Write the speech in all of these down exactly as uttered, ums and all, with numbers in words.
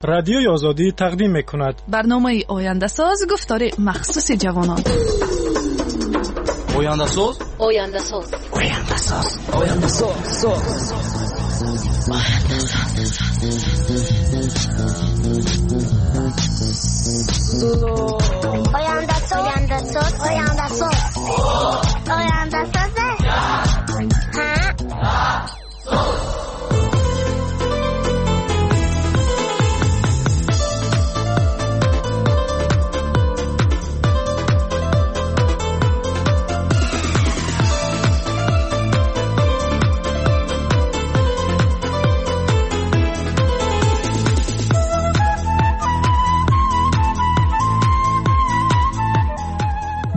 Радиои Озодӣ тақдим мекунад. Барномаи Ояндасоз, гуфтори махсуси ҷавонон. Ояндасоз, Ояндасоз, Ояндасоз, Ояндасоз, Ояндасоз, Ояндасоз, Ояндасоз, Ояндасоз.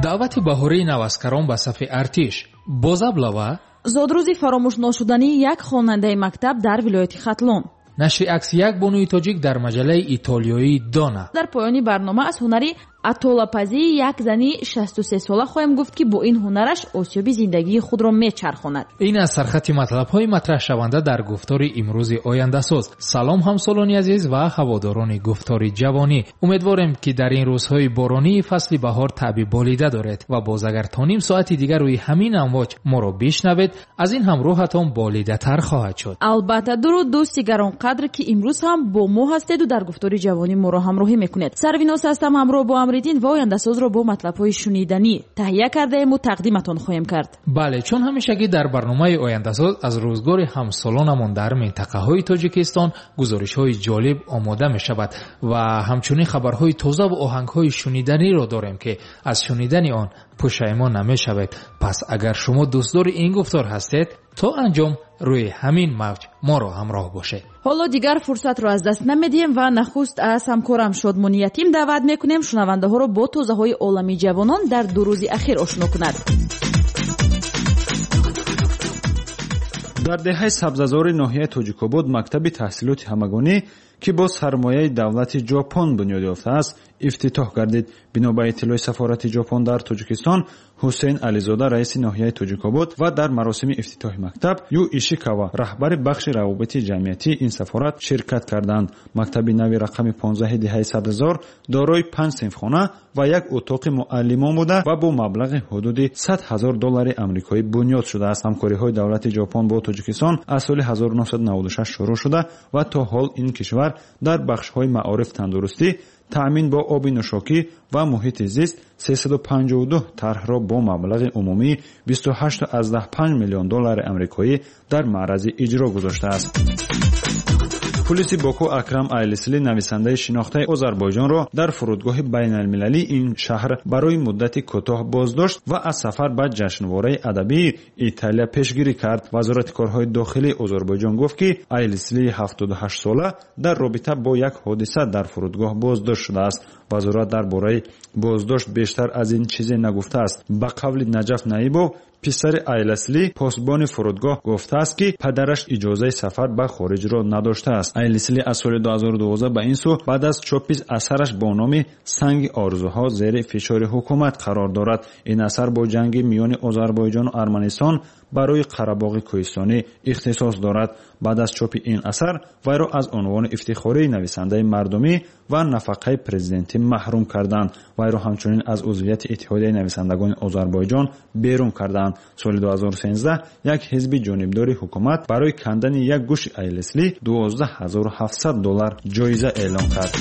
Даъвати баҳории наваскарон ба сафи артиш бозаблава. Зодрӯзи фаромӯшношудании як хонандаи мактаб дар вилояти Хатлон. Нашри акси як бонуи тоҷик дар маҷаллаи итолиёии Дона. Дар поёни барнома аз ҳунари атолапазии як зани шасту се сола хоҳем гуфт, ки бо ин ҳунараш осиёби зиндагии худро мечархонад. Ин аз сархати матлабҳои матраҳшаванда дар гуфтори имрӯзи Ояндасоз. Салом, ҳамсолони азиз ва ҳаводорони гуфтори ҷавонӣ. Умедворем, ки дар ин рӯзҳои боронии фасли баҳор таъби болида доред ва боз агар то ним соати дигар рӯи ҳамин амвоҷ моро бишнавед, аз ин ҳам рӯҳатон болидатар хоҳад шуд. Албатта, дуруд дӯсти гаронқадр, ки имрӯз ҳам бо мо ҳастеду дар гуфтори ҷавонӣ моро ҳамроҳӣ мекунед. Сарвиноз ҳастам, ҳамроҳ бо Амриддин ва Ояндасозро бо матлабҳои шуниданӣ таҳия кардаему тақдиматон хоҳем кард. Бале, чун ҳамешагӣ дар барномаи Ояндасоз аз рӯзгори ҳамсолонамон дар минтақаҳои Тоҷикистон гузоришҳои ҷолиб омода мешавад ва ҳамчунин хабарҳои тоза ва оҳангҳои шуниданиро дорем, ки аз шунидани он пушаймон намешавед. Пас агар шумо дӯстдори ин гуфтор ҳастед, то анҷом рӯи ҳамин мавҷ моро ҳамроҳ бошед. Ҳоло дигар фурсатро аз даст намедиҳем ва нахуст аз ҳамкорам Шодмони Ятим даъват мекунем шунавандаҳоро бо тозаҳои олами ҷавонон дар ду рӯзи ахир ошно кунад. Дар деҳаи Сабзазори ноҳияи Тоҷикобод мактаби таҳсилоти ҳамагонӣ, ки бо сармояи давлати Ҷопон бунёд ёфтааст, ифтитоҳ гардид. Бино ба иттилои сафорати Ҷопон дар Тоҷикистон, Ҳусейн Ализода, раиси ноҳияи Тоҷикобод, ва дар маросими ифтитоҳи мактаб Ю Ишикава, раҳбари бахши равобити ҷамъиятии ин сафорат, ширкат карданд. Мактаби нави рақами понздаҳи деҳаи Сабзазор дорои панҷ синфхона ва як утоқи муаллимон буда ва бо маблағи ҳудуди сад ҳазор доллари амрикоӣ бунёд шудааст. Ҳамкориҳои давлати Ҷопон бо Тоҷикистон аз соли ҳазору нӯҳсаду наваду шаш шурӯъ шуда ва то ҳол ин кишвар дар бахшҳои маориф, тандурустӣ, таъмин бо оби нӯшокӣ ва муҳити зист сесаду панҷоҳу ду тарҳро бо маблағи умумии бисту ҳашту аздаҳ панҷ миллион доллари амрикоӣ дар маърази иҷро гузоштааст. Пулиси Боку Акрам Айлисли, нависандаи шинохтаи Озарбойҷонро дар фурудгоҳи байналмилалии ин шаҳр барои муддати кӯтоҳ боздошт ва аз сафар ба ҷашнвораи адабии Италия пешгирӣ кард. Вазорати корҳои дохилии Озарбойҷон гуфт, ки Айлисли ҳафтоду ҳашт сола дар робита бо як ҳодиса дар фурудгоҳ боздошт шудааст. Вазорат дар бораи боздошт бештар аз ин чизе нагуфтааст. Ба қавли Наҷаф Наибов, писари Айласли, посбони фурудгоҳ, гуфтааст, ки падараш иҷозаи сафар ба хориҷро надоштааст. Айлисли аз соли дуҳазору дувоздаҳ ба ин сӯ баъд аз чопи асараш бо номи Санги орзуҳо зери фишори ҳукумат қарор дорад. Ин асар бо ҷанги миёни Озарбойҷону Арманистон барои Қарабоғи кӯҳистонӣ ихтисос дорад. Баъд аз чопи ин асар вайро аз унвони ифтихории нависандаи мардумӣ ва нафақаи президентӣ маҳрум карданд. Вайро ҳамчунин аз узвияти Иттиҳодияи нависандагони Озарбойҷон берун карданд. Соли дуҳазору сенздаҳ як ҳизби ҷонибдори ҳукумат барои кандани як гӯши Айлисли дувоздаҳ ҳазору ҳафтсад доллар ҷоиза эълон кард.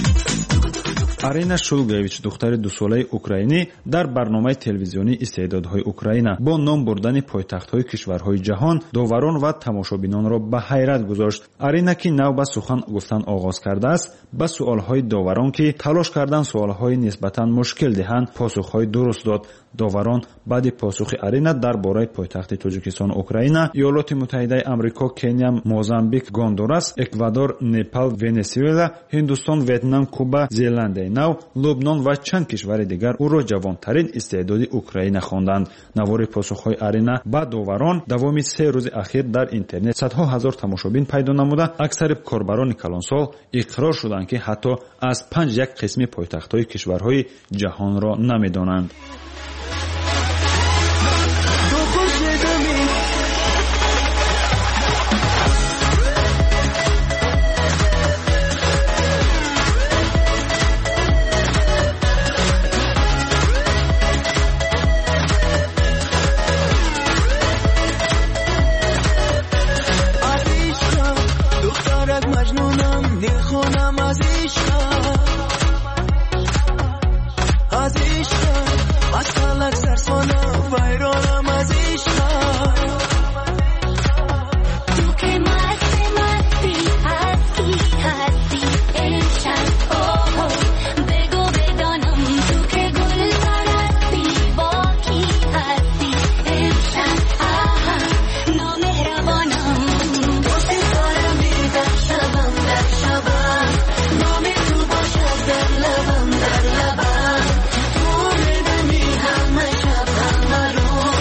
Арина Шулгевич, духтари дусолаи украинӣ, дар барномаи телевизионии истеъдодҳои Украина бо ном бурдани пойтахтҳои кишварҳои ҷаҳон доварон ва тамошобинонро ба ҳайрат гузошт. Арина, ки нав ба сухан гуфтан оғоз кардааст, ба суолҳои доварон, ки талош кардан суолҳои нисбатан мушкил диҳанд, посухҳои дуруст дод. Доварон баъди посухи Арина дар бораи пойтахти Тоҷикистону Украина, Иёлоти Муттаҳидаи Амрико, Кения, Мозамбик, Гондурас, Эквадор, Непал, Венесуэла, Ҳиндустон, Ветнам, Куба, Зеландияи Нав, Лубнон ва чанд кишвари дигар ӯро ҷавонтарин истеъдоди Украина хонданд. Навори посухҳои Арина ба доварон давоми се рӯзи ахир дар интернет садҳо ҳазор тамошобин пайдо намуда, аксари корбарони калонсол иқрор шуданд, ки ҳатто аз панҷ як қисми пойтахтҳои кишварҳои ҷаҳонро намедонанд. вайронам аз ишқат, аз ишқат, аз фалак сарсонам, вайронам аз ишқат. Ту ки масти масти ҳасти ҳасти имшаб, оҳо бигӯ бидонам, ту ки гул парасти бо кӣ ҳасти имшаб, аҳа номеҳрабонам. Ту ситорами дар шабам, дар шабам, номи ту бошад дар лабам, дар лабам. Ту медами ҳама шаб ҳама рӯз,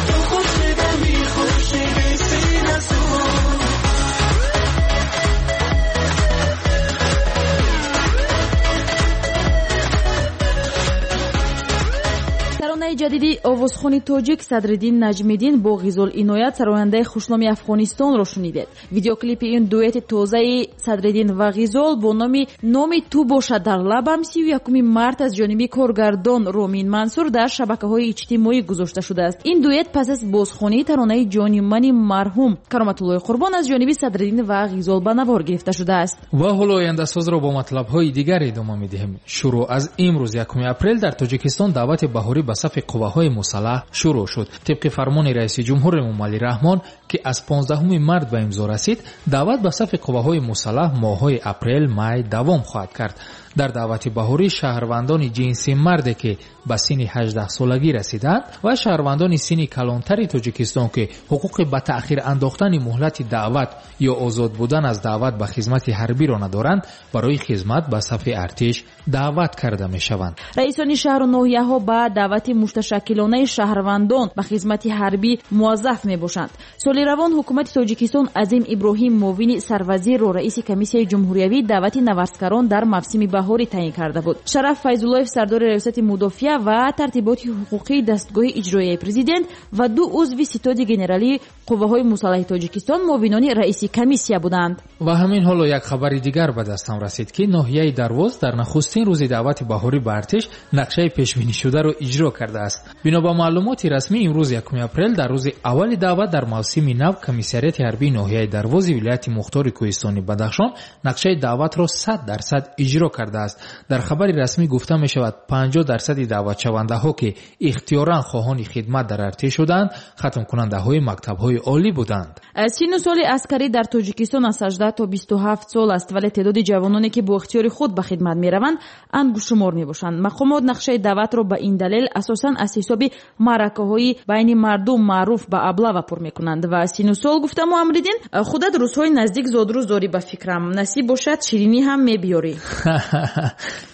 ту хуршедами хуршеди синасӯз. Таронаи ҷадиди овозхони тоҷик Садриддин Наҷмиддин бо Ғизол Иноят, сарояндаи хушноми Афғонистонро шунидед. Видеоклипи ин дуэти тозаи Садриддин ва Ғизол бо номи «Номи ту бошад дар лабам» сию якуми март аз ҷониби коргардон Ромин Мансур дар шабакаҳои иҷтимоӣ гузошта шудааст. Ин дуэт пас аз бозхонии таронаи ҷони мани марҳум Кароматуллои Қурбон аз ҷониби Садриддин ва Ғизол ба навор гирифта шудааст. Ва ҳоло ояндасозро бо матлабҳои дигар идома медиҳем. Шурӯъ аз имрӯз якуми апрел дар Тоҷикистон даъвати баҳорӣ ба сафи қувваҳои мусаллаҳ шурӯъ шуд. Тибқи фармони раиси ҷумҳур Эмомалӣ Раҳмон, ки аз понздаҳуми март ба имзо расид, даъват ба сафи қувваҳои мусаллаҳ моҳҳои апрел, май давом хоҳад кард. Дар даъвати баҳорӣ шаҳрвандони ҷинси марде, ки ба синни ҳаждаҳсолагӣ расиданд, ва шаҳрвандони синни калонтари Тоҷикистон, ки ҳуқуқи ба таъхир андохтани муҳлати даъват ё озод будан аз даъват ба хизмати ҳарбиро надоранд, барои хизмат ба сафи артиш даъват карда мешаванд. Раисони шаҳру ноҳияҳо ба даъвати мушташаккилонаи шаҳрвандон ба хизмати ҳарбӣ муваззаф мебошанд. Соли равон ҳукумати Тоҷикистон Азим Иброҳим муовини сарвазирро раиси комиссияи ҷумҳуриявии даъвати наварзкарон дар мавсими баҳорӣ таъин карда буд. Шараф Файзуллоев, сардори раёсати мудофиа ва тартиботи ҳуқуқии дастгоҳи иҷроияи президент, ва ду узви ситоди генералии қувваҳои мусаллаҳи Тоҷикистон муовинони раиси комиссия буданд. Ва ҳамин ҳоло як хабари дигар ба дастам расид, ки ноҳияи Дарвоз дар нахустин рӯзи даъвати баҳорӣ ба артиш нақшаи пешбинишударо иҷро кардааст. Бино ба маълумоти расмӣ, имрӯз якуми апрел дар рӯзи аввали даъват дар мавсими нав комиссариати ҳарбии ноҳияи Дарвози вилояти мухтори кӯҳистони Бадахшон нақшаи даъватро сад дарсад иҷро кардааст. Дар хабари расмӣ гуфта мешавад, панҷоҳ дарсади даъватшавандаҳо, ки ихтиёран хоҳони хидмат дар артиш шуданд, хатмкунандаҳои мактабҳои олӣ буданд. Синну соли аскарӣ дар Тоҷикистон аз ҳаждаҳ то бисту ҳафт сол аст, вале теъдоди ҷавононе, ки бо ихтиёри худ ба хидмат мераванд, ангуштшумор мебошанд. Мақомот нақшаи даъватро ба ин далел асосан аз ҳисоби маъракаҳои байни мардум маъруф ба аблава пур мекунанд. Ва синну сол гуфтаму, Амриддин, худат рӯзҳои наздик зодрӯз дорӣ, ба фикрам. Насиб бошад, ширинӣ ҳам мебиёрӣ.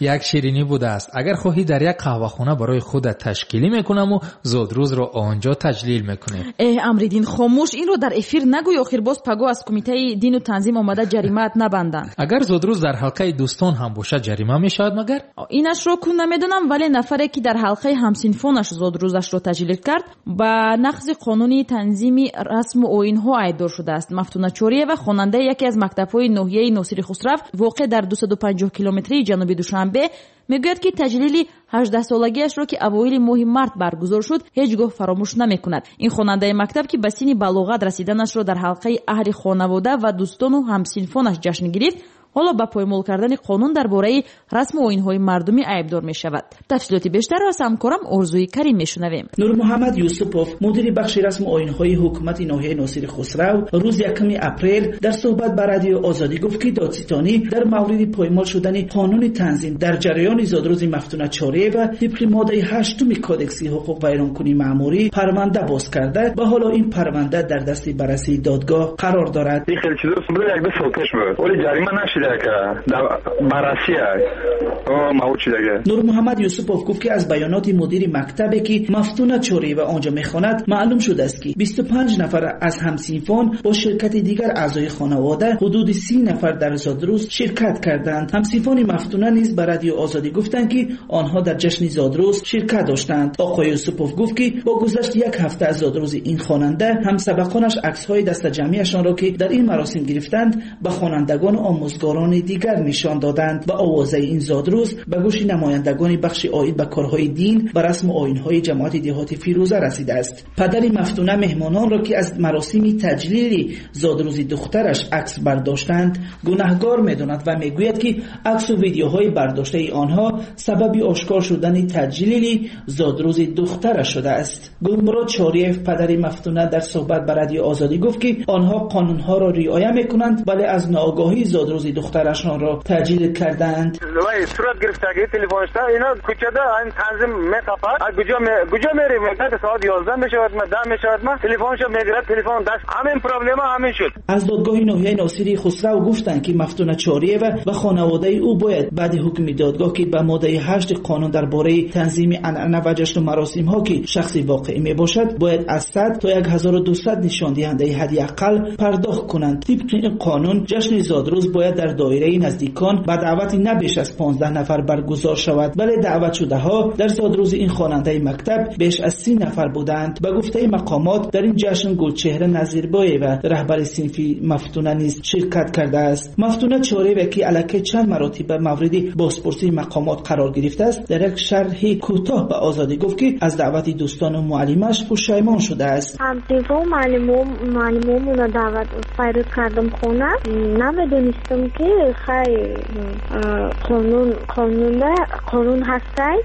Як ширинӣ будааст. Агар хоҳӣ, дар як қаҳвахона барои худат ташкилӣ мекунаму зодрӯзро он ҷо таҷлил мекунем. Эҳ, Амриддин, хомӯш, инро дар эфир нагӯй, охир боз паго аз кумитаи дину танзим омада ҷаримаат набанданд. Агар зодрӯз дар ҳалқаи дӯстон ҳам бошад, ҷарима мешавад магар? Инашро кун намедонам, вале нафаре, ки дар ҳалқаи ҳамсинфонаш зодрӯзашро таҷлил кард, ба нақзи қонуни танзими расму оинҳо айбдор шудааст. Мафтуна Чориева, хонандаи яке аз мактабҳои ноҳияи Носири Хусрав, воқеъ дар дусаду панҷоҳ километрии ҷануби Душанбе, мегӯяд, ки таҷлили ҳаждаҳсолагиашро, ки авоили моҳи март баргузор шуд, ҳеҷ гоҳ фаромӯш намекунад. Ин хонандаи мактаб, ки ба синни балоғат расиданашро дар ҳалқаи аҳли хонавода ва дӯстону ҳамсинфонаш ҷашн гирифт, ҳоло ба поймол кардани қонун дар бораи расму оинҳои мардумӣ айбдор мешавад. Тафсилоти бештарро аз ҳамкорам Орзуи Карим мешунавем. Нурмуҳаммад Юсупов, мудири бахши расму оинҳои ҳукумати ноҳияи Носири Хусрав, рӯзи якуми апрел дар суҳбат ба радиои Озодӣ гуфт, ки додситонӣ дар мавриди поймол шудани қонуни танзим дар ҷараёни зодрӯзи Мафтуна Чориева тибқи моддаи ҳаштуми кодекси ҳуқуқвайронкунии маъмурӣ парванда боз карда ва ҳоло ин парванда дар дасти баррасии додгоҳ қарор дорад. Ин хеле чизо як ду сол пеш буд, вале ҷарима нашид. Нурмуҳаммад Юсупов гуфт, ки аз баёноти мудири мактабе, ки Мафтуна Чориева он ҷо мехонад, маълум шудааст, ки бисту панҷ нафар аз ҳамсинфон бо ширкати дигар аъзои хонавода ҳудуди си нафар дар зодрӯз ширкат карданд. Ҳамсинфони Мафтуна низ ба радиои Озодӣ гуфтанд, ки онҳо дар ҷашни зодрӯз ширкат доштанд. Оқои Юсупов гуфт, ки бо гузашти як ҳафта аз зодрӯзи ин хонанда, ҳамсабақонаш аксҳои дастаҷамъиашонро, ки дар ин маросим гирифтанд, ба хонандагону омӯзгорон гунаҳкорони дигар нишон доданд ва овозаи ин зодрӯз ба гӯши намояндагони бахши оид ба корҳои дин ва расму оинҳои ҷамоати деҳоти Фирӯза расидааст. Падари Мафтуна меҳмононро, ки аз маросими таҷлили зодрӯзи духтараш акс бардоштанд, гунаҳгор медонад ва мегӯяд, ки аксу видеоҳои бардоштаи онҳо сабаби ошкор шудани таҷлили зодрӯзи духтараш шудааст. Гулмурод Чориев, падари Мафтуна, дар суҳбат ба Радиои Озодӣ гуфт, ки онҳо қонунҳоро риоя мекунанд, вале аз ноогоҳӣ зодрӯзи духтарашонро таҷлил кардаанд. Сурат гирифтагӣ телефоншда ино кӯчада ин танзим меқапад. Куҷо куҷо мерем? Соат ёздаҳ мешавад, даҳ мешавад, ма телефоншо мегирад, телефон даст. Ҳамин проблема ҳамин шуд. Аз додгоҳи ноҳияи Носири Хусрав гуфтанд, ки Мафтуна Чориева ва хонаводаи ӯ бояд баъди ҳукми додгоҳ, ки ба моддаи ҳашти қонун дар бораи танзими анъана ва ҷашну маросимҳо, ки шахси воқеӣ мебошад, бояд аз сад то як ҳазору дусад нишондиҳандаи ҳадди ақал пардохт кунанд. Тибқи ин қонун ҷашни зодрӯз бояд дар доираи наздикон ба даъвати на беш аз понздаҳ нафар баргузор шавад, вале даъватшудаҳо дар зодрӯзи ин хонандаи мактаб беш аз си нафар буданд. Ба гуфтаи мақомот дар ин ҷашн Гулчеҳра Назирбоева, раҳбари синфи Мафтуна, низ ширкат кардааст. Мафтуна Чориева, ки аллакай чанд маротиба мавриди бозпурсии мақомот қарор гирифтааст, дар як шарҳи кӯтоҳ ба Озодӣ гуфт, ки аз даъвати дӯстону муаллимаш пушаймон шудааст. Ҳамсинфо муаллимомона даъват файрод кардам хона. Намедонистам, ки хай қонун қонунда қонун ҳастай,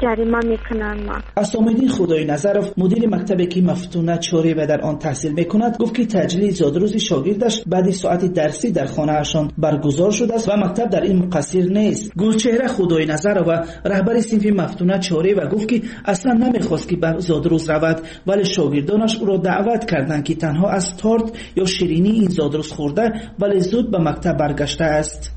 ҷарима мекунанд ма. Асомиддин Худойназаров, мудири мактабе, ки Мафтуна Чориева дар он таҳсил мекунад, гуфт, ки таҷлили зодрӯзи шогирдаш баъди соати дарсӣ дар хонаашон баргузор шудааст ва мактаб дар ин муқассир нест. Гулчеҳра Худойназарова, раҳбари синфи Мафтуна Чориева, гуфт, ки аслан намехост, ки ба зодрӯз равад, вале шогирдонаш ӯро даъват карданд, ки танҳо аз торт ё ширинии ин зодрӯз хӯрда, вале зуд ба мактаб баргаштааст.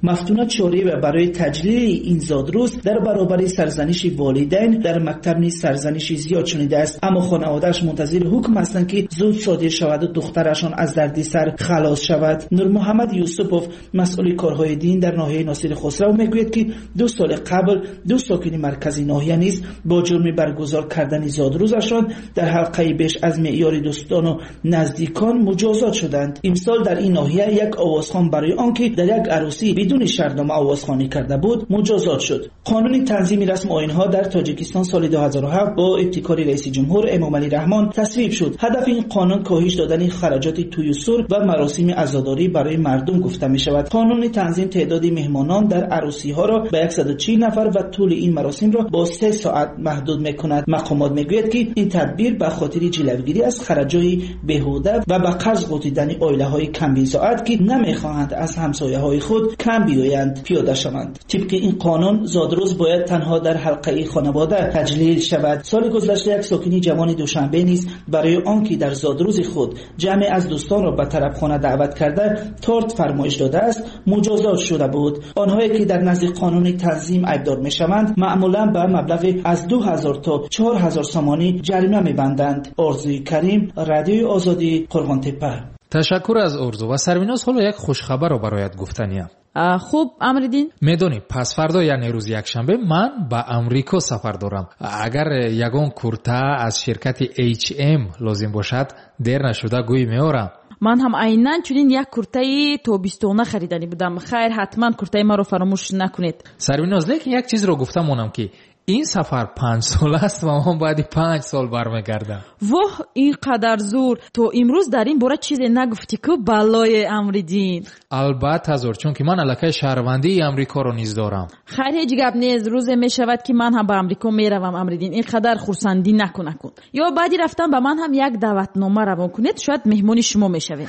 Мафтуна Чориева барои таҷлили ин зодрӯз дар баробари сарзаниши волидайн дар мактаб низ сарзаниши зиёд шунидааст, аммо хонаводааш мунтазири ҳукм ҳастанд, ки зуд содир шаваду духтарашон аз дарди сар халос шавад. Нурмуҳаммад Юсупов, масъули корҳои дин дар ноҳияи Носири Хусрав, мегӯяд, ки ду соли қабл ду сокини маркази ноҳия низ бо ҷурми баргузор кардани зодрӯзашон дар ҳалқаи беш аз меъёри дӯстону наздикон муҷозот шуданд. Имсол дар ин ноҳия як овозхон барои он ки дар як арӯсӣ бидуни шартнома овозхонӣ карда буд, муҷозот шуд. Қонуни танзими расму оинҳо дар Тоҷикистон соли ду ҳазору ҳафт бо ибтикори раиси ҷумҳур Эмомалӣ Раҳмон тасвиб шуд. Ҳадафи ин қонун коҳиш додани хараҷоти тӯю сур ва маросими азодорӣ барои мардум гуфта мешавад. Қонуни танзим теъдоди меҳмонон дар арӯсиҳоро ба яксаду чил нафар ва тӯли ин маросимро бо се соат маҳдуд мекунад. Мақомот мегӯяд, ки ин тадбир ба хотири ҷилавгирӣ аз хараҷои беҳуда ва ба қарз ғутидани оилаҳои камбизоат, ки намехоҳанд аз ҳамсояҳои худ кам биёянд, пиёда шаванд. Тибқи ин қонун зодрӯз бояд танҳо дар ҳалқаи хонавода таҷлил шавад. Соли гузашта як сокини ҷавони Душанбе низ барои он ки дар зодрӯзи худ ҷамъе аз дӯстонро ба тарабхона даъват карда торт фармоиш додааст, муҷозот шуда буд. Онҳое ки дар назди қонуни танзим айбдор мешаванд, маъмулан ба маблағи аз ду ҳазор то чор ҳазор сомонӣ ҷарима мебанданд. Орзуи Карим, Радиои Озодӣ, Қурғонтеппа. Ташаккур аз Орзу ва Сарвиноз. Ҳоло як хушхабарро барояд гуфтаниям. Хуб, Амриддин, медонӣ, пасфардо, яъне рӯзи якшанбе, ман ба Амрико сафар дорам. Агар ягон курта аз ширкати H M лозим бошад, дер нашуда гӯй меорам. Ман ҳам айнан чунин як куртаи тобистона хариданӣ будам. Хайр, ҳатман куртаи маро фаромӯш накунед. Сарвиноз, лекин як чизро гуфта монам, ки ин сафар панҷ сол аст ва ман баъди панҷ сол бармегардам. Воҳ, ин қадар зур! То имрӯз дар ин бора чизе нагуфтӣ ку, баллое Амриддин. Албатта зур, чунки ман аллакай шаҳрвандии Амрикоро низ дорам. Хайр, ҳеҷ гап нест, рӯзе мешавад, ки ман ҳам ба Амрико меравам. Амриддин, ин қадар хурсандӣ накун накун. Ё баъди рафтан ба ман ҳам як даъватнома равон кунед, шояд меҳмони шумо мешавем.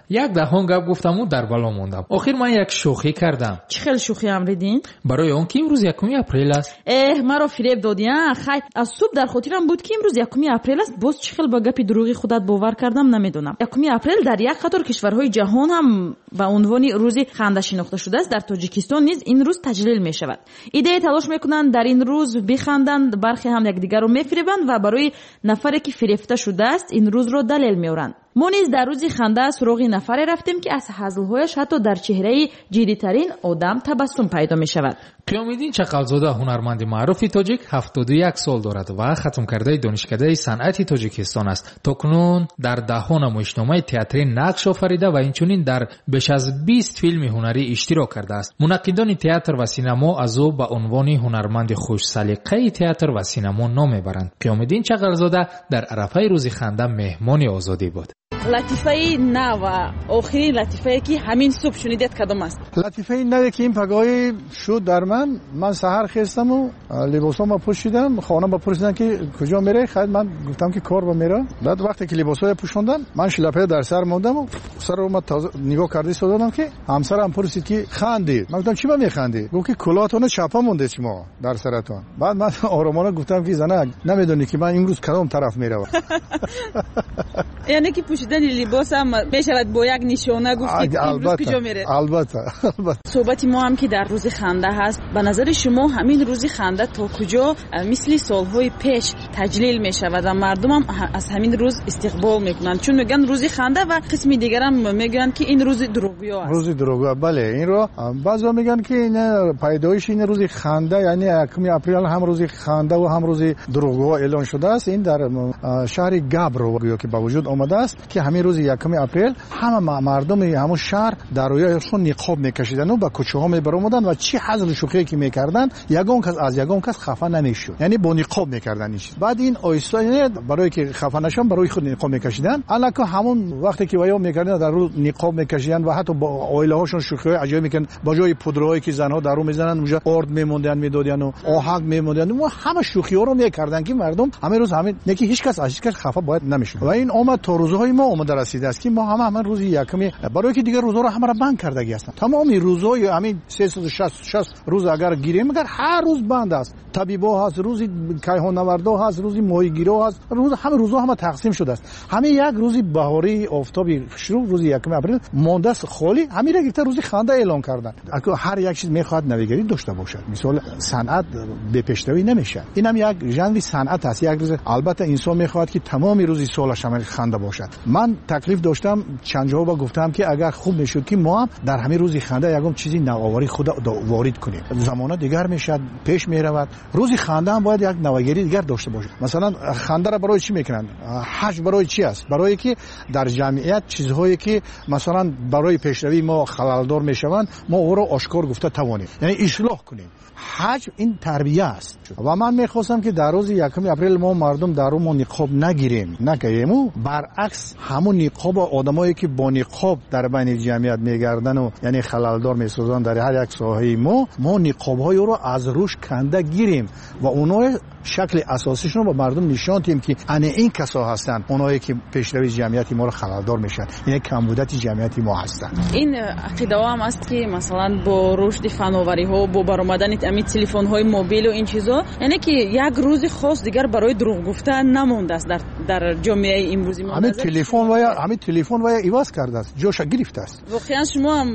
Як даҳон гап гуфтаму дар бало мондам. Охир ман як шӯхӣ кардам. Чӣ хел шӯхӣ, Амриддин? Барои он ки имрӯз якуми апрел аст. Эҳ, маро фиреб додӣ, а? Хайр, аз субҳ дар хотирам буд, ки имрӯз якуми апрел аст. Боз чӣ хел ба гапи дурӯғи худат бовар кардам, намедонам. Якуми апрел дар як қатор кишварҳои ҷаҳон ҳам ба унвони рӯзи ханда шинохта шудааст. Дар Тоҷикистон низ ин рӯз таҷлил мешавад. Идея талош мекунанд дар ин рӯз биханданд, бархе ҳам якдигарро мефиребанд ва барои нафаре, ки фирефта шудааст, ин рӯзро далел меоранд. Мо низ дар рӯзи ханда суроғи нафаре рафтем, ки аз ҳазлҳояш ҳатто дар чеҳраи ҷиддитарин одам табассум пайдо мешавад. Қиёмиддин Чақалзода, ҳунарманди маъруфи тоҷик, ҳафтоду як сол дорад ва хатмкардаи Донишкадаи санъати Тоҷикистон аст. То кунун дар даҳҳо намоишномаи театрӣ нақш офарида ва инчунин дар беш аз бист филми ҳунарӣ иштирок кардааст. Мунаққидони театр ва синамо аз ӯ ба унвони ҳунарманди хушсалиқаи театр ва синамо ном мебаранд. Қиёмиддин Чақалзода дар арафаи рӯзи ханда меҳмони Озодӣ буд. Латифаи нав ва охирин латифае, ки ҳамин субҳ шунидед, кадом аст? Латифаи наве, ки ин пагоҳӣ шуд дар ман, ман саҳар хестаму либосҳома пӯшидам, хонама пурсидам, ки куҷо меравӣ? Хайр, ман гуфтам, ки кор ба меравам. Баъд вақте ки либосҳоя пӯшондам, ман шлапая дар сар мондаму сарро ман нигоҳ карда истодам, ки ҳамсарам пурсид, ки хандӣ? Ман гуфтам, чӣ ба механдӣ? Гуфт, ки кулоҳатона чапа мондед шумо дар саратон. Баъд ман оромона гуфтам, ки занак, намедонӣ, ки ман имрӯз кадом тараф меравам. Яъне ки пӯшидани либосам мешавад бо як нишона гуфт, ки имрӯз куҷо меред? Албатта, албатта. Суҳбати мо ҳам, ки дар рӯзи ханда ҳаст, ба назари шумо ҳамин рӯзи ханда то куҷо мисли солҳои пеш таҷлил мешавад ва мардумам аз ҳамин рӯз истиқбол мекунанд? Чун мегӯянд рӯзи ханда ва қисми дигарам мегӯянд, ки ин рӯзи дурӯғгӯё аст. Рӯзи дурӯғгӯ, бале, инро баъзеҳо мегӯянд, ки ин пайдоиши ин рӯзи ханда, яъне якуми апрел ҳам рӯзи ханда ва ҳам рӯзи дурӯғгӯ эълон шудааст. Ин дар шаҳри Габро гӯё ки ба вуҷуд омадааст, ки ҳамин рӯзи якуми апрел ҳама мардуми ҳамон шаҳр дар рӯяшон ниқоб мекашидану ба кӯчаҳо мебаромаданд ва чӣ ҳазлу шӯхие ки мекарданд, ягон кас аз ягон кас хафа намешуд, яъне бо ниқоб мекарданд ин чиз. Баъд ин оҳиста барое ки хафа нашаванд, барои худ ниқоб мекашиданд. Аллако ҳамон вақте ки ваё мекарданд, дар рӯ ниқоб мекашиданд ва ҳатто бо оилаҳошон шӯхиҳои аҷоиб мекарданд. Ба ҷои пудраҳое ки занҳо дар рӯ мезананд, унҷа орд мемонданд, медодияну оҳак мемонданд. Ҳама шӯхиҳоро мекарданд, ки мардум ҳамин рӯз ҳамин не, ки ҳеҷ кас аз ҳеҷ кас хафа бояд намешуд. Ва ин омад то рӯзҳои мо омада расидааст, ки мо ҳама ҳамин рӯзи якуми, барое ки дигар рӯзҳоро ҳамаро банд кардагӣ ҳастанд. Тамоми рӯзҳои ҳамин сесаду шасту шаст рӯз агар гирем, агар ҳар рӯз банд аст. Табибо ҳаст, рӯзи кайҳоннавардо ҳаст, рӯзи моҳигиро ҳаст, рӯз ҳама рӯзҳо ҳама тақсим шудааст. Ҳамин як рӯзи баҳории офтоби хушрӯ, рӯзи якуми апрел мондааст холӣ. Ҳаминро гирифта рӯзи ханда эълон карданд. Ҳар як чиз мехоҳад навигарӣ дошта бошад. Мисол, санъат бепешравӣ намешавад. Инам як жанри санъат аст. Як рӯз албатта инсон мехоҳад, ки тамоми рӯзи солаш ҳамин ханда бошад. Ман таклиф доштам, чанд ҷоба гуфтам, ки агар хуб мешуд, ки мо ҳам дар ҳамин рӯзи ханда ягон чизи навоварӣ худ ворид кунем. Замона дигар мешавад, пеш меравад. Рӯзи ханда ҳам бояд як навогарии дигар дошта бошад. Масалан, хандаро барои чӣ мекунанд? Ҳаҷ барои чӣ аст? Барое ки дар ҷамъият чизҳое ки масалан барои пешравии мо халалдор мешаванд, мо ӯро ошкор гуфта тавонем, яъне ислоҳ кунем. Ҳаҷ ин тарбия аст. Ва ман мехостам, ки дар рӯзи якуми апрел мо мардум дар рӯ мо ниқоб нагирем, накаему, баръакс ҳамун ниқобо одамое ки бо ниқоб дар байни ҷамъият мегардану яъне халалдор месозанд дар ҳар як соҳаи мо, мо ниқобҳои ӯро аз рӯш канда гирем ва онҳое шакли асосишонро ба мардум нишон диҳем, ки ане ин касо ҳастанд, онҳое ки пешравии ҷамъияти моро халалдор мешаванд, яъне камбудати ҷамъияти мо ҳастанд. Ин ақидаҳо ҳам аст, ки масалан бо рушди фановариҳо, бо баромадани ҳамин телефонҳои мобилу ин чизо, яъне ки як рӯзи хос дигар барои дурӯғ гуфтан намондааст дар дар ҷомеаи имрӯзи мо. Ҳамин телефон вая, ҳамин телефон вая иваз кардааст, ҷоша гирифтааст. Воқеан шумо ҳам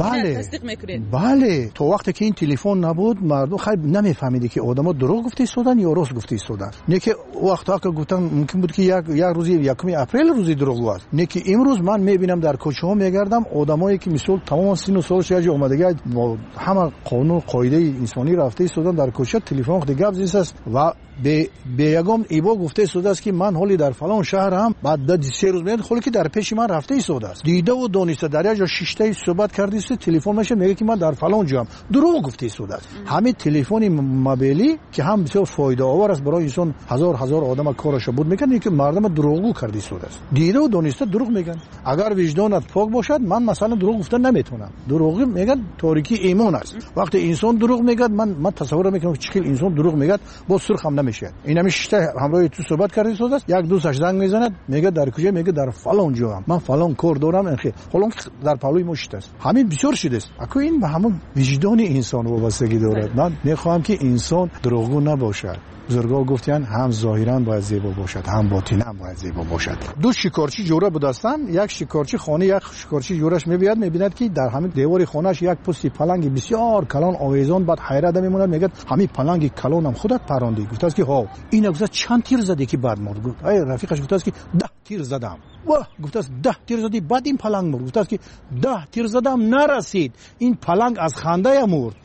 бале тасдиқ мекунед? Бале, то вақте ки ин телефон набуд, мардум хайр намефаҳмиде, ки одамо дурӯғ гуфта истоданд ё рост гуфта истоданд. Не ки вақтҳо ки гуфтан мумкин буд, ки як як рӯзи якуми апрел рӯзи дурӯғгӯ аст. Не ки имрӯз ман мебинам, дар кӯчаҳо мегардам, одамое ки мисол тамоми сину солаш як ҷо омадагӣ, бо ҳама қонун қоидаи инсонӣ рафта истоданд, дар кӯча телефон худи гап зистааст ва бе ягон ибо гуфта истодааст, ки ман ҳоли дар фалон шаҳрам, баъд се рӯз меояд, ҳоле ки дар пеши ман рафта истодааст, дидаву дониста дар як ҷо шиштаи суҳбат карда истода, телефон мешавад, мегӯяд, ки ман дар фалон ҷоам, дурӯғ гуфта истодааст. Ҳамин телефони мобилӣ, ки ҳам бисёр фоидаовар аст барои инсон, ҳазор ҳазор одама кораша буд мекард, ки мардама дурӯғгӯ карда истодааст, дидаву дониста дурӯғ мегӯянд. Агар виҷдонат пок бошад, ман масалан дурӯғ гуфта наметавонам. Дурӯғ мегӯянд торикии имон аст. Вақте инсон дурӯғ мегӯяд, ман ман тасаввур мекунам, ки чӣ хел инсон дурӯғ мегӯяд, боз сурх ҳам намешавад. Ин ҳамин шишта ҳамроҳи ту суҳбат карда истодааст, як дӯсташ занг мезанад, мегӯяд дар куҷо? Мегӯяд дар фалон ҷоам, ман фалон кор дорам, ҳолон ки дар паҳлӯи мо шиштааст. Ҳамин бисёр шудааст. Аку ин ба ҳамон виҷдони инсон вобастагӣ дорад. Ман мехоҳам, ки инсон дурӯғгӯ набошад. Бузургҳо гуфтанд, ҳам зоҳиран бояд зебо бошад, ҳам ботинан бояд зебо бошад. Ду шикорчӣ ҷӯра будастанд. Як шикорчӣ хона, як шикорчӣ ҷӯраш мебияд, мебинад ки дар ҳамин девори хонааш як пусти паланги бисёр калон овезон. Баъд ҳайрат мемонад, мегӯяд ҳамин паланги калонам худат парондӣ? Гуфтааст ки ҳо. Ина гуфтааст чанд тир задӣ ки баъд мурд? Гуфт ай рафиқаш гуфтааст ки даҳ тир задам. Ваҳ, гуфтааст даҳ тир задӣ баъд ин паланг мурд? Гуфтааст ки даҳ тир задам нарасид, ин паланг аз хандая мурд.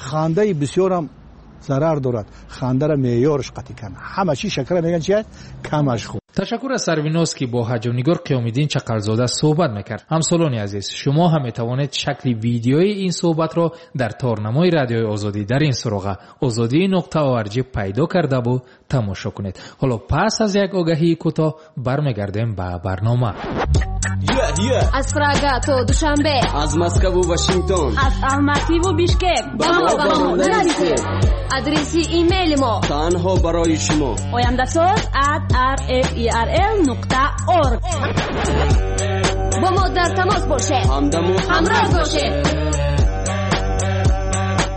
Хандаи бисёрам зарар дорад, хандара меъёрш қатъӣ кан. Ҳама чиз шакара мегӯянд чи аст? Камаш хуб. Ташаккур аз Сарвиноз, ки бо ҳаҷвнигор Қиёмиддин Чақалзода суҳбат мекард. Ҳамсолони азиз, шумо ҳам метавонед шакли видеои ин суҳбатро дар торнамои Радиои Озодӣ дар ин суроға озодӣ нуқта орг пайдо кардаву тамошо кунед. Ҳоло пас аз як огаҳии кӯтоҳ бармегардем ба барнома. Аз Прага то Душанбе, аз Москву Вашингтон, аз Алмативу Бишкек ба мо ба мо нарасед. Адреси имейли мо танҳо барои шумо ояндасоз at r f e r l нуқта org. Бо мо дар тамос бошед, ҳамдаму ҳамроҳ бошед.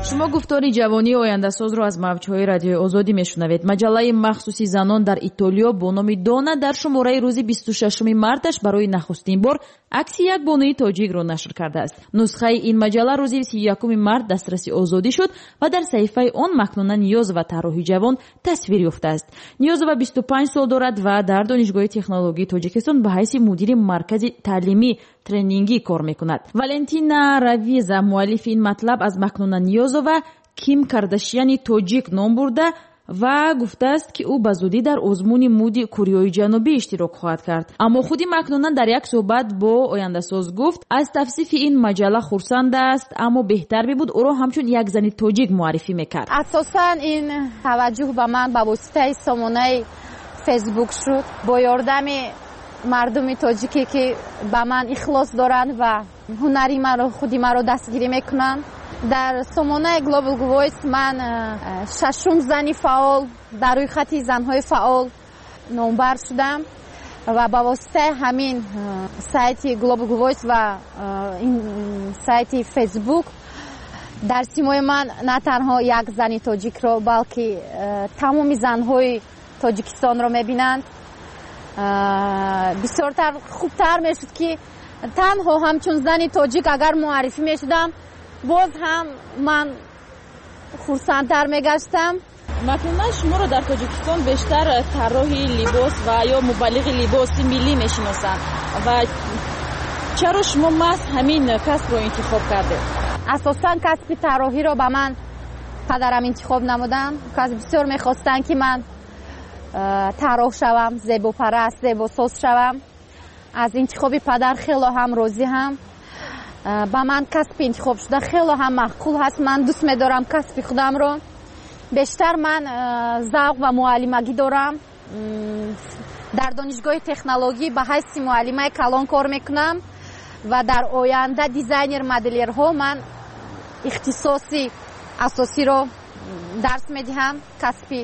Шумо гуфтори ҷавонии ояндасозро аз мавҷҳои Радиои Озодӣ мешунавед. Маҷаллаи махсуси занон дар Итолиё бо номи Дона дар шумораи рӯзи бисту шашуми марташ барои нахустин бор акси як бонуи тоҷикро нашр кардааст. Нусхаи ин маҷалла рӯзи сию якуми март дастраси озодӣ шуд ва дар саҳифаи он Макнуна Ниёзова, тарроҳи ҷавон, тасвир ёфтааст. Ниёзова бисту панҷ сол дорад ва дар Донишгоҳи технологии Тоҷикистон ба ҳайси мудири маркази таълимӣ тренингӣ кор мекунад. Валентина Равиза, муаллифи ин матлаб, аз Макнуна Ниёзова Ким Кардашияни тоҷик ном бурда ва гуфтааст, ки ӯ ба зудӣ дар озмуни муди Кореяи Ҷанубӣ иштирок хоҳад кард. Аммо худи Макнуна дар як суҳбат бо ояндасоз гуфт, аз тавсифи ин маҷалла хурсанд аст, аммо беҳтар мебуд ӯро ҳамчун як зани тоҷик муаррифӣ мекард. Асосан ин таваҷҷӯҳ ба ман ба воситаи сомонаи Фейсбук шуд. Бо ёрдами мардуми тоҷике ки ба ман ихлос доранд ва ҳунари маро, худи маро дастгирӣ мекунанд. Дар сомонаи Global Voice ман шашум зани фаъол дар рӯйхати занҳои фаъол номбар шудам ва ба воситаи ҳамин сайти Global Voice ва сайти Facebook дар симои ман на танҳо як зани тоҷикро, балки тамоми занҳои Тоҷикистонро мебинанд. Бисёртар хубтар мешуд ки танҳо ҳамчун зани тоҷик агар муаррифӣ мешудам, боз ҳам ман хурсандтар мегаштам. Макнуна, шуморо дар Тоҷикистон бештар тарроҳи либос ва ё мубаллиғи либоси миллӣ мешиносанд ва чаро шумо маҳз ҳамин касбро интихоб кардед? Асосан касби тарроҳиро ба ман падарам интихоб намуданд. Кас бисёр мехостанд ки ман тарроҳ шавам, зебопараст, зебосоз шавам. Аз интихоби падар хело ҳам розӣ ҳам. Ба ман касби интихоб шуда хело ҳам маъқул ҳаст. Ман дӯст медорам касби худамро. Бештар ман завқ ва муаллимагӣ дорам. Дар донишгоҳи технологӣ ба ҳайси муаллимаи калон кор мекунам ва дар оянда дизайнер моделерҳо ман ихтисоси асосиро дарс медиҳам, касби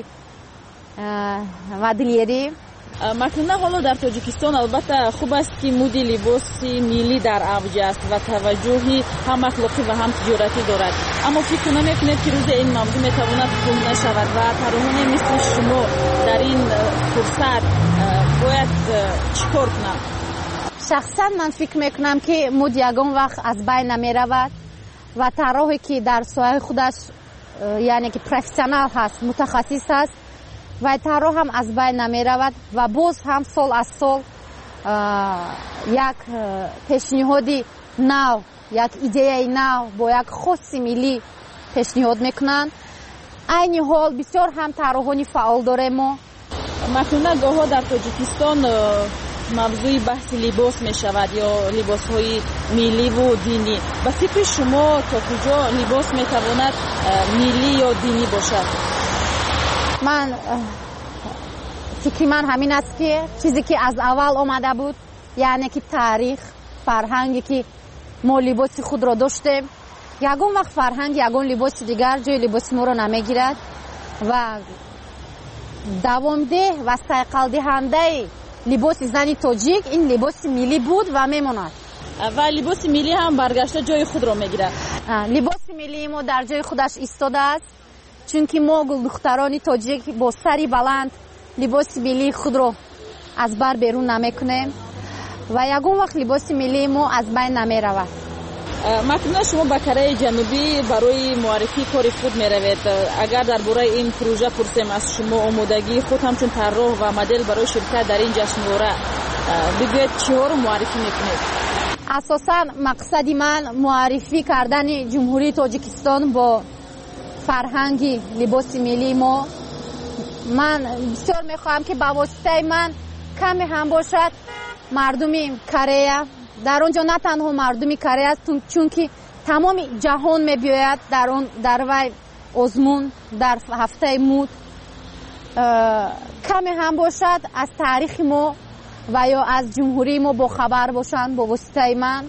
моделерӣ. Макнуна, ҳоло дар Тоҷикистон албатта хуб аст ки муди либоси миллӣ дар авҷ аст ва таваҷҷӯҳи ҳам ахлоқӣ ва ҳам тиҷоратӣ дорад, аммо фикр намекунед ки рӯзе ин мавзӯъ метавонад кӯҳна шавад ва тарроҳоне мисли шумо дар ин фурсат бояд чӣ кор кунанд? Шахсан ман фикр мекунам ки муд ягон вақт аз байн намеравад ва тарроҳе ки дар соҳаи худаш, яъне ки профессионал ҳаст, мутахассис ҳаст, ва тарроҳ ҳам аз байн намеравад ва боз ҳам сол аз сол як пешниҳоди нав, як идеяи нав бо як хоси миллӣ пешниҳод мекунанд. Айни ҳол бисёр ҳам тарроҳони фаъол дорем мо. Макнуна, гоҳҳо дар Тоҷикистон мавзӯи баҳси либос мешавад ё либосҳои милливу динӣ. Ба фикри шумо то куҷо либос метавонад миллӣ ё динӣ бошад? Ман фикри ман ҳамин аст ки чизе ки аз аввал омада буд, яъне ки таърих, фарҳанге ки мо либоси худро доштем, ягон вақт фарҳанг, ягон либоси дигар ҷои либоси моро намегирад ва давомдеҳ ва сайқалдиҳандаи либоси зани тоҷик ин либоси миллӣ буд ва мемонад. Ва либоси миллӣ ҳам баргашта ҷои худро мегирад. Либоси миллии мо дар ҷои худаш истодааст, Чунки мо гулдухтарони тоҷик бо сари баланд либоси миллии худро аз бар берун намекунем ва ягон вақт либоси миллии мо аз байн намеравад. Макнуна, шумо ба Кореяи Ҷанубӣ барои муаррифии кори худ меравед. Агар дар бораи ин пурӯжа пурсем аз шумо, омодагии худ ҳамчун тарроҳ ва модел барои ширкат дар ин ҷашнвора, бигӯед, чиҳоро муаррифӣ мекунед? Асосан мақсади ман муаррифӣ кардани Ҷумҳурии Тоҷикистон бо фарҳанги либоси миллии мо. Ман бисёр мехоҳам, ки ба воситаи ман каме ҳам бошад мардуми Корея, дар он ҷо на танҳо мардуми Корея, чунки тамоми ҷаҳон мебиёяд дар он дар вай озмун дар ҳафтаи муд, каме ҳам бошад аз таърихи мо ва ё аз ҷумҳурии мо бохабар бошанд бо воситаи ман.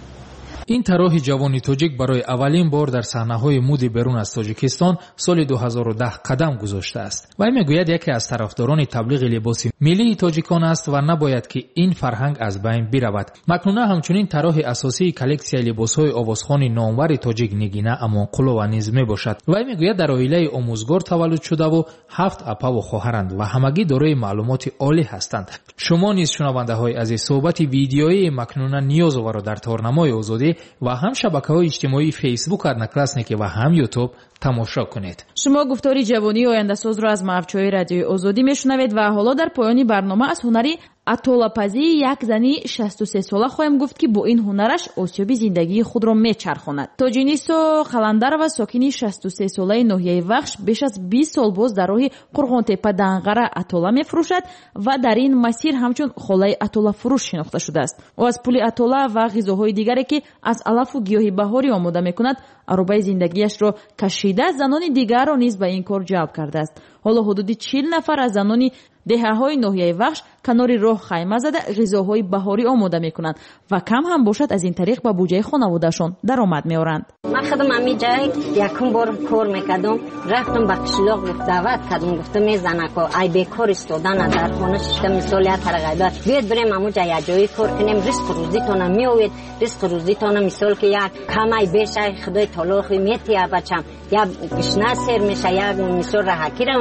Ин тарроҳи ҷавони тоҷик барои аввалин бор дар саҳнаҳои муди берун аз Тоҷикистон соли ду ҳазору даҳ қадам гузоштааст. Вай мегӯяд, яке аз тарафдорони таблиғи либоси миллии тоҷикон аст ва набояд ки ин фарҳанг аз байн биравад. Макнуна ҳамчунин тарроҳи асосии коллексияи либосҳои овозхони номвари тоҷик Нигина Амонқулова низ мебошад. Вай мегӯяд, дар оилаи омӯзгор таваллуд шудаву ҳафт апаву хоҳаранд ва ҳамагӣ дорои маълумоти олӣ ҳастанд. Шумо низ, шунавандаҳои азиз, суҳбати видеоии Макнуна Ниёзоваро дар торнамои Озодӣ ва ҳам шабакаҳои иҷтимоии Фейсбук, Одноклассники ва ҳам Ютуб тамошо кунед. Шумо гуфтори ҷавонии ояндасозро аз мавҷҳои радиои Озодӣ мешунавед ва ҳоло дар поёни барнома аз ҳунари атолапазии як зани шасту се сола хоҳем гуфт, ки бо ин ҳунараш осиёби зиндагии худро мечархонад. Тоҷинисо Қаландарова, сокини шасту се солаи ноҳияи Вахш, беш аз бист сол боз дар роҳи Қурғонтепа Данғара атола мефурӯшад ва дар ин масир ҳамчун холаи атолафурӯш шинохта шудааст. Ӯ аз пули атола ва ғизоҳои дигаре, ки аз алафу гиёҳи баҳорӣ омода мекунад, аробаи зиндагиашро кашида, занони дигарро низ ба ин кор ҷалб кардааст. Ҳоло ҳудуди чил нафар аз занони деҳаҳои ноҳияи Вахш канори роҳ хайма зада ғизоҳои баҳорӣ омода мекунанд ва кам ҳам бошад аз ин тариқ ба буҷаи хонаводаашон даромад меоранд. Ман худам ҳамин ҷай якум бор кор мекардам, рафтам ба қишлоқ, даъват кардам, гуфтам эй занако, ай бекор истодана дар хона шишта, мисол як тарағайбат, биёед бирем ҳамун ҷа якҷоӣ кор кунем, ризқу рӯзитона меоед, ризқу рӯзитона мисол ки як камай бешай худои таоло метия бачам, як гишна сер меша, як мисол раҳакира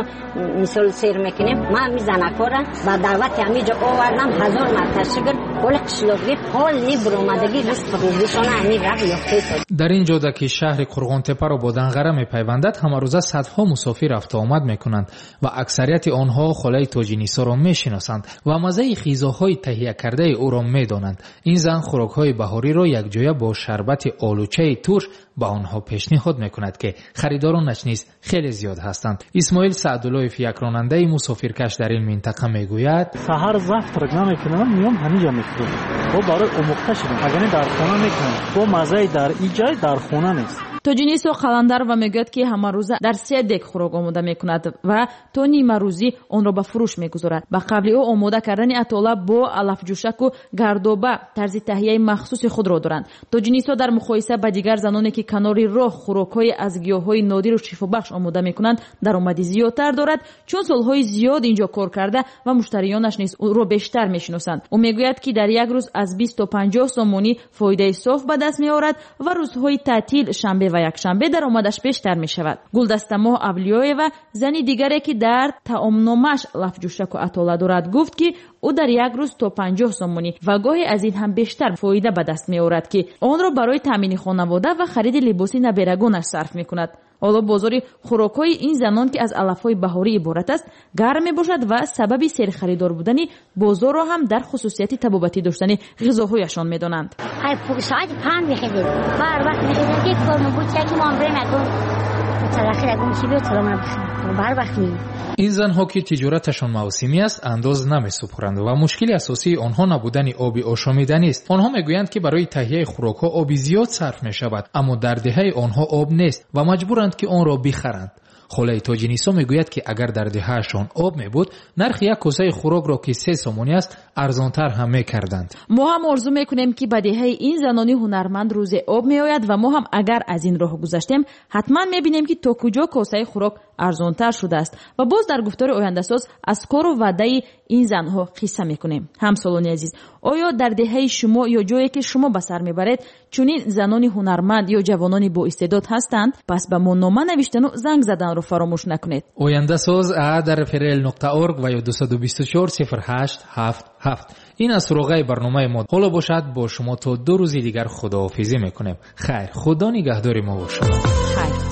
мисол сер мекунем. Ман ҳамин занакора ба даъвати ҳамин ҷо овардам, ҳазор марта шукр, ҳоли қишлоқӣ ҳоли буромадагӣ ризқу рӯзишона ҳамин раҳ ёфта. Дар ин ҷода ки шаҳри Қурғонтепаро бо Данғара мепайвандад, ҳамарӯза садҳо мусофир рафтуомад мекунанд ва аксарияти онҳо холаи Тоҷинисоро мешиносанд ва маззаи ғизоҳои таҳиякардаи ӯро медонанд. Ин зан хӯрокҳои баҳориро якҷоя бо шарбати олучаи турш ба онҳо пешниҳод мекунад, ки харидоронаш низ хеле зиёд ҳастанд. Исмоил Саъдуллоев, як ронандаи мусофиркаш дар ин минтақа, мегӯяд: саҳар завтрак намекунам, меом ҳаминҷа мехӯрам. Бо барои омӯхта шудам, агар не дар хона мекунам. Бо маззаи дар ин ҷай дар хона нест. Тоҷинисо Қаландарова мегӯяд, ки ҳамарӯза дар се дек хӯрок омода мекунад ва то нимарӯзӣ онро ба фурӯш мегузорад. Ба қавли ӯ, омода кардани атола бо алафҷӯшаку гардоба тарзи таҳияи махсуси худро доранд. Тоҷинисо дар муқоиса ба дигар заноне, ки канори роҳ хӯрокҳои аз гиёҳҳои нодиру шифобахш омода мекунанд, даромади зиёдтар дорад, чун солҳои зиёд инҷо кор карда ва муштариёнаш низ ӯро бештар мешиносанд. Ӯ мегӯяд, ки дар як рӯз аз бист то панҷоҳ сомонӣ фоидаи соф ба даст меорад ва рӯзҳои таътил, шанбе ва якшанбе, даромадаш бештар мешавад. Гулдастамоҳ Авлиёева, зани дигаре, ки дар таомномааш лафҷӯшаку атола дорад, гуфт, ки ӯ дар як рӯз то панҷоҳ сомонӣ ва гоҳе аз ин ҳам бештар фоида ба даст меорад, ки онро барои таъмини хонавода ва хариди либоси наберагонаш сарф мекунад. Ҳоло бозори хӯрокҳои ин занон, ки аз алафҳои баҳорӣ иборат аст, гарм мебошад ва сабаби серхаридор будани бозорро ҳам дар хусусияти табобатӣ доштани ғизоҳояшон медонанд. Соати панҷ мехезем, ҳар вақт мехезем, ки кормон буд, ки мо ҳам бирем ягон талахи ягон чи биёд, саломат бихӯрем, ҳар вақт меем. Ин занҳо, ки тиҷораташон мавсимӣ аст, андоз намесупоранд ва мушкили асосии онҳо набудани оби ошомиданист. Онҳо мегӯянд, ки барои таҳияи хӯрокҳо оби зиёд сарф мешавад, аммо дар деҳаи онҳо об нест ва маҷбуранд, ки онро бихаранд. Холаи Тоҷинисо мегӯяд, ки агар дар деҳаашон об мебуд, нархи як косаи хӯрокро, ки се сомонӣ аст, арзонтар ҳам мекарданд. Мо ҳам орзу мекунем, ки ба деҳаи ин занони ҳунарманд рӯзе об меояд ва мо ҳам агар аз ин роҳ гузаштем, ҳатман мебинем, ки то куҷо косаи хӯрок арзонтар шудааст. Ва боз дар гуфтори ояндасоз аз кору ваъдаи ин занҳо қисса мекунем. Ҳамсолони азиз, оё дар деҳаи шумо ё ҷое ки шумо ба сар мебаред чунин занони ҳунарманд ё ҷавонони боистеъдод ҳастанд? Пас ба мо нома навиштану занг заданро фаромӯш накунед. Ояндасоз а дар рфрл нуқта орг ва ё дусаду бисту чор сифр ҳашт ҳафт ҳафт. Ин аз суроғаи барномаи мо. Ҳоло бошад бо шумо то ду рӯзи дигар худоҳофизӣ мекунем. Хайр, худо нигаҳдори мо ва шумо. Хайр.